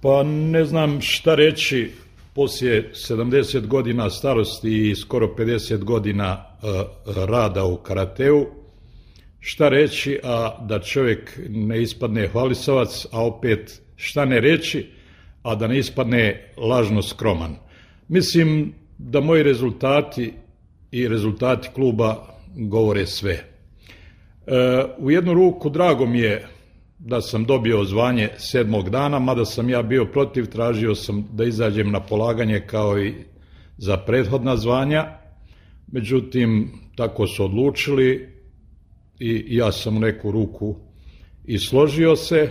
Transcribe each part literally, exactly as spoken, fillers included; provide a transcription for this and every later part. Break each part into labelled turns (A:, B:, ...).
A: Pa ne znam šta reći poslije sedamdeset godina starosti i skoro pedeset godina rada u karateu. Šta reći, a da čovjek ne ispadne hvalisavac, a opet šta ne reći, a da ne ispadne lažno skroman. Mislim da moji rezultati i rezultati kluba govore sve. E, u jednu ruku drago mi je da sam dobio zvanje sedmog dana, mada sam ja bio protiv, tražio sam da izađem na polaganje kao i za prethodna zvanja, međutim tako su odlučili i ja sam u neku ruku i složio se.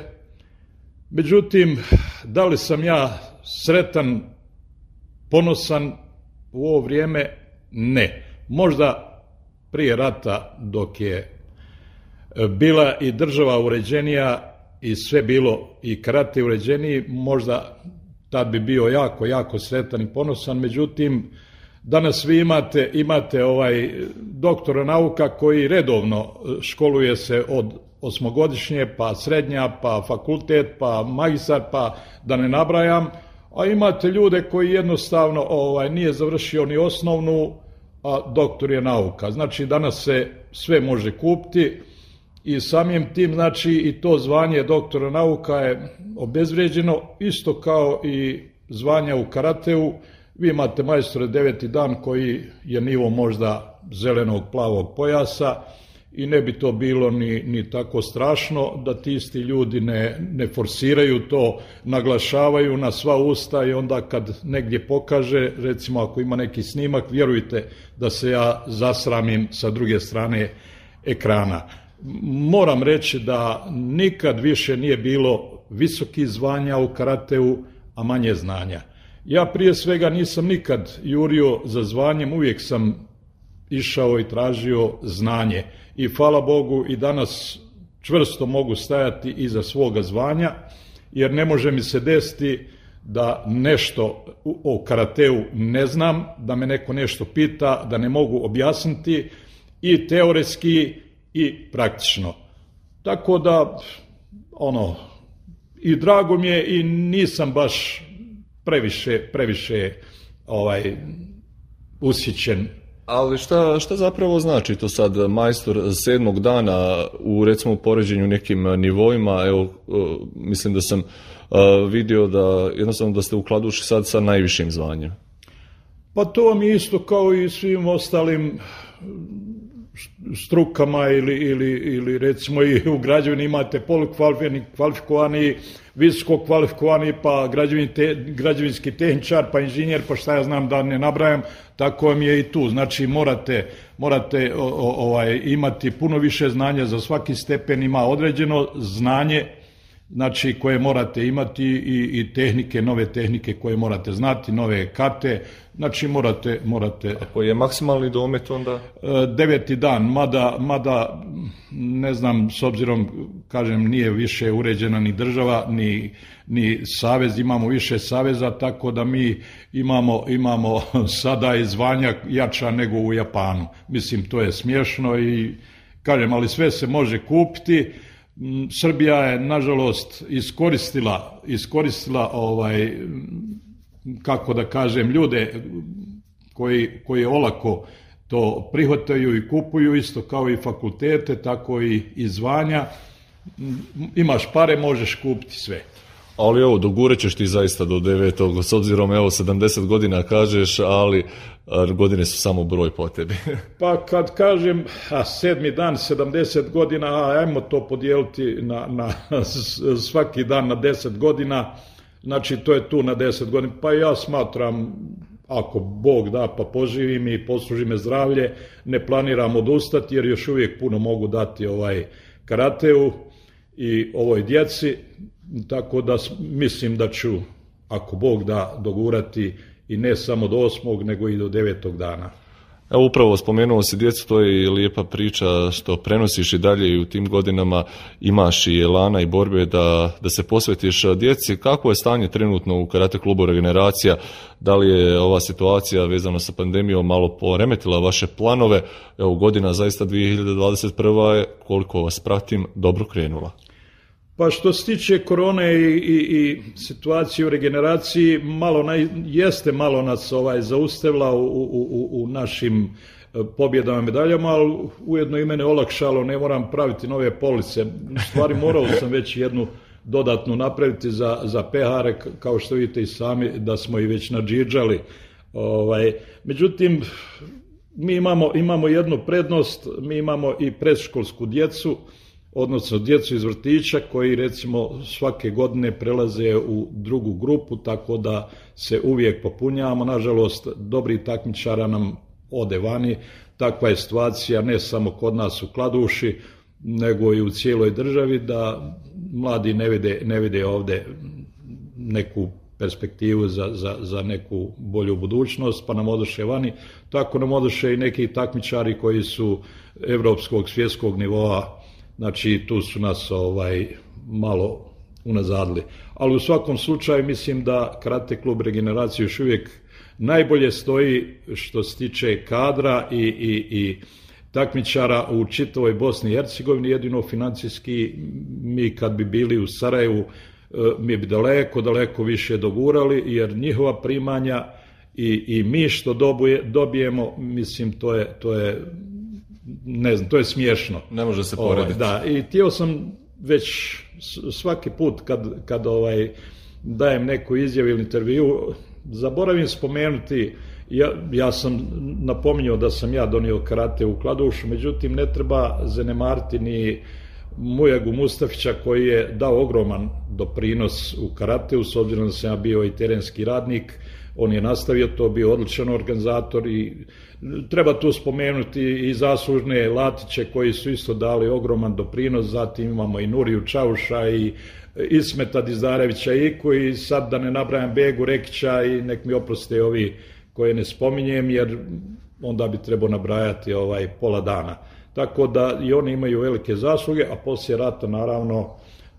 A: Međutim, da li sam ja sretan, ponosan u ovo vrijeme? Ne. Možda prije rata, dok je bila i država uređenija i sve bilo i karate uređeniji, možda tad bi bio jako, jako sretan i ponosan. Međutim, danas vi imate, imate ovaj doktora nauka koji redovno školuje se od osmogodišnje, pa srednja, pa fakultet, pa magistar, pa da ne nabrajam, a imate ljude koji jednostavno ovaj, nije završio ni osnovnu, a doktor je nauka. Znači danas se sve može kupiti i samim tim, znači, i to zvanje doktora nauka je obezvrijeđeno, isto kao i zvanja u karateu. Vi imate majstore deveti dan koji je nivo možda zelenog, plavog pojasa i ne bi to bilo ni, ni tako strašno da ti isti ljudi ne, ne forsiraju to, naglašavaju na sva usta i onda kad negdje pokaže, recimo ako ima neki snimak, vjerujte da se ja zasramim sa druge strane ekrana. Moram reći da nikad više nije bilo visokih zvanja u karateu, a manje znanja. Ja prije svega nisam nikad jurio za zvanjem, uvijek sam išao i tražio znanje. I hvala Bogu i danas čvrsto mogu stajati iza svoga zvanja, jer ne može mi se desiti da nešto o karateu ne znam, da me neko nešto pita, da ne mogu objasniti i teoretski i praktično. Tako da, ono, i drago mi je i nisam baš previše, previše ovaj, ushićen.
B: Ali šta, šta zapravo znači to sad majstor sedmog dana u recimo poređenju nekim nivoima? Evo, mislim da sam uh, vidio da jednostavno da ste u Kladuši sad sa najvišim zvanjem.
A: Pa to vam je isto kao i svim ostalim strukama ili, ili, ili recimo i u građevini imate polukvalifikovani, kvalifikovani, visoko kvalifikovani, pa građevin te, građevinski tehničar, pa inženjer, pa šta ja znam da ne nabrajam, tako vam je i tu. Znači morate, morate o, o, ovaj, imati puno više znanja, za svaki stepen ima određeno znanje, znači koje morate imati i, i tehnike, nove tehnike koje morate znati, nove karte, znači morate... morate
B: A koji je maksimalni domet onda?
A: Deveti dan, mada, mada ne znam, s obzirom, kažem, nije više uređena ni država, ni, ni savez, imamo više saveza, tako da mi imamo, imamo sada i zvanja jača nego u Japanu. Mislim, to je smiješno i, kažem, ali sve se može kupiti. Srbija je, nažalost, iskoristila, iskoristila ovaj, kako da kažem, ljude koji, koji olako to prihvataju i kupuju, isto kao i fakultete, tako i, i zvanja. Imaš pare, možeš kupiti sve.
B: Ali evo, dogurat ćeš ti zaista do devetog, s obzirom, evo, sedamdeset godina kažeš, ali godine su samo broj po tebi.
A: Pa kad kažem a, sedmi dan, sedamdeset godina, a, ajmo to podijeliti na, na svaki dan na deset godina, znači to je tu na deset godina. Pa ja smatram, ako Bog da pa poživim i posluži me zdravlje, ne planiram odustati jer još uvijek puno mogu dati ovaj karateu i ovoj djeci, tako da mislim da ću, ako Bog da, dogurati i ne samo do osmog, nego i do devetog dana.
B: Evo, upravo spomenuo si djecu, to je lijepa priča što prenosiš i dalje i u tim godinama imaš i elana i borbe da, da se posvetiš djeci. Kako je stanje trenutno u karate klubu Regeneracija? Da li je ova situacija vezana sa pandemijom malo poremetila vaše planove? Evo, godina zaista dvije hiljade dvadeset prva je, koliko vas pratim, dobro krenula.
A: Pa što se tiče korone i, i, i situacije u regeneraciji, malo na, jeste malo nas ovaj zaustavila u, u, u, u našim pobjedama i medaljama, ali ujedno i mene olakšalo, ne moram praviti nove police. U stvari morao sam već jednu dodatnu napraviti za, za pehare, kao što vidite i sami da smo i već nadžiđali. Ovaj, međutim, mi imamo, imamo jednu prednost, mi imamo i predškolsku djecu, odnosno djecu iz vrtića koji recimo svake godine prelaze u drugu grupu, tako da se uvijek popunjavamo. Nažalost, dobri takmičara nam ode vani. Takva je situacija ne samo kod nas u Kladuši, nego i u cijeloj državi, da mladi ne vide, ne vide ovdje neku perspektivu za, za, za neku bolju budućnost, pa nam odoše vani. Tako nam odoše i neki takmičari koji su evropskog, svjetskog nivoa. Znači, tu su nas ovaj, malo unazadili. Ali u svakom slučaju mislim da Karate klub Regeneracija još uvijek najbolje stoji što se tiče kadra i, i, i takmičara u čitavoj Bosni i Hercegovini. Jedino financijski mi kad bi bili u Sarajevu mi bi daleko, daleko više dogurali, jer njihova primanja i, i mi što dobuje, dobijemo, mislim, to je, to je ne znam, to je smiješno.
B: Ne može se porediti.
A: Da, i htio sam već svaki put kad, kad ovaj, dajem neku izjavu ili intervju, zaboravim spomenuti, ja, ja sam napominjao da sam ja donio karate u Kladušu, međutim ne treba zanemariti ni Mujagu Mustafića koji je dao ogroman doprinos u karateu, s obzirom da sam ja bio i terenski radnik. On je nastavio to, bio odličan organizator i treba tu spomenuti i zaslužne Latiće koji su isto dali ogroman doprinos. Zatim imamo i Nuriju Čauša i Ismeta Dizdarevića i koji sad da ne nabrajam Begu Rekića i nek mi oproste ovi koje ne spominjem, jer onda bi trebao nabrajati ovaj pola dana. Tako da i oni imaju velike zasluge, a poslije rata naravno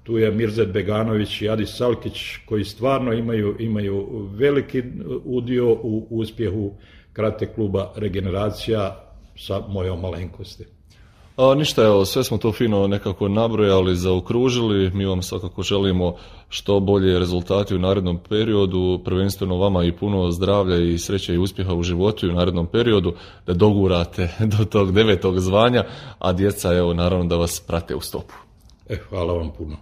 A: tu je Mirzet Beganović i Adis Salkić koji stvarno imaju, imaju veliki udio u uspjehu Karate kluba Regeneracija sa mojom malenkosti.
B: A, ništa, evo, sve smo to fino nekako nabrojali, zaokružili. Mi vam svakako želimo što bolje rezultati u narednom periodu, prvenstveno vama i puno zdravlja i sreće i uspjeha u životu i u narednom periodu, da dogurate do tog devetog zvanja, a djeca, evo, naravno da vas prate u stopu.
A: E, hvala vam puno.